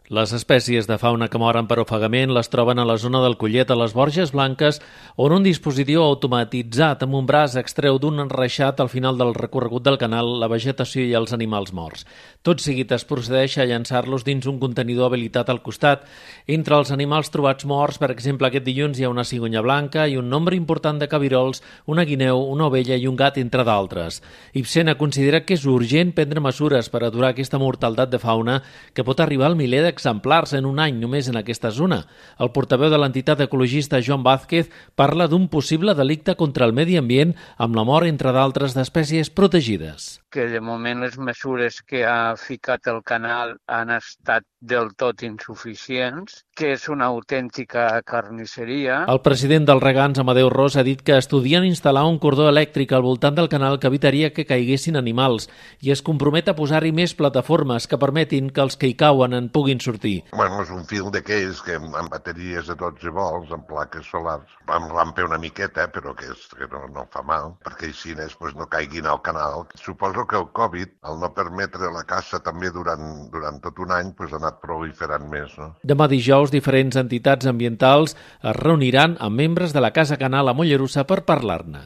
Les espècies de fauna que moren per ofegament les troben a la zona del Collet, a les Borges Blanques, on un dispositiu automatitzat amb un braç extreu d'un enreixat al final del recorregut del canal la vegetació i els animals morts. Tot seguit es procedeix a llançar-los dins un contenidor habilitat al costat. Entre els animals trobats morts, per exemple, aquest dilluns hi ha una cigonya blanca i un nombre important de cabirols, una guineu, una ovella i un gat, entre d'altres. Ibsena considera que és urgent prendre mesures per aturar aquesta mortaldat de fauna que pot arribar al miler exemplars en un any només en aquesta zona. El portaveu de l'entitat ecologista Joan Vázquez parla d'un possible delicte contra el medi ambient amb la mort, entre d'altres, d'espècies protegides. Que de moment les mesures que ha ficat el canal han estat del tot insuficients, que és una autèntica carnisseria. El president dels regants, Amadeu Ros, ha dit que estudien instal·lar un cordó elèctric al voltant del canal que evitaria que caiguessin animals i es compromet a posar-hi més plataformes que permetin que els que hi cauen en puguin sortir. Bueno, és un fil d'aquells que amb bateries de 12 volts, amb plaques solars, amb rampe una miqueta, però que no fa mal, perquè així no caiguin al canal. Suposo que el Covid, al no permetre la caça també durant tot un any, ha anat proliferant més, no? Demà dijous, diferents entitats ambientals es reuniran amb membres de la Casa Canal a Mollerussa per parlar-ne.